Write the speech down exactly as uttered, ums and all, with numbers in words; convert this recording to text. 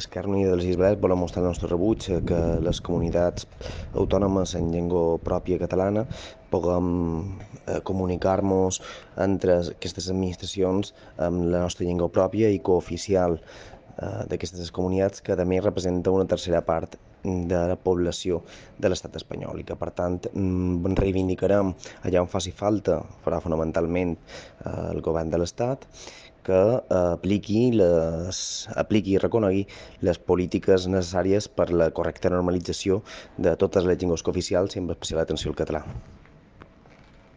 Esquerra Unida de les Illes Balears volem mostrar el nostre rebuig a que les comunitats autònomes en llengua pròpia catalana puguem eh, comunicar-nos entre aquestes administracions amb la nostra llengua pròpia i cooficial eh, d'aquestes comunitats, que a més representa una tercera part de la població de l'estat espanyol i que, per tant, mm, reivindicarem allà on faci falta, farà fonamentalment eh, el govern de l'estat, que eh, apliqui, les, apliqui i reconegui les polítiques necessàries per la correcta normalització de totes les llengües cooficials i amb especial atenció al català.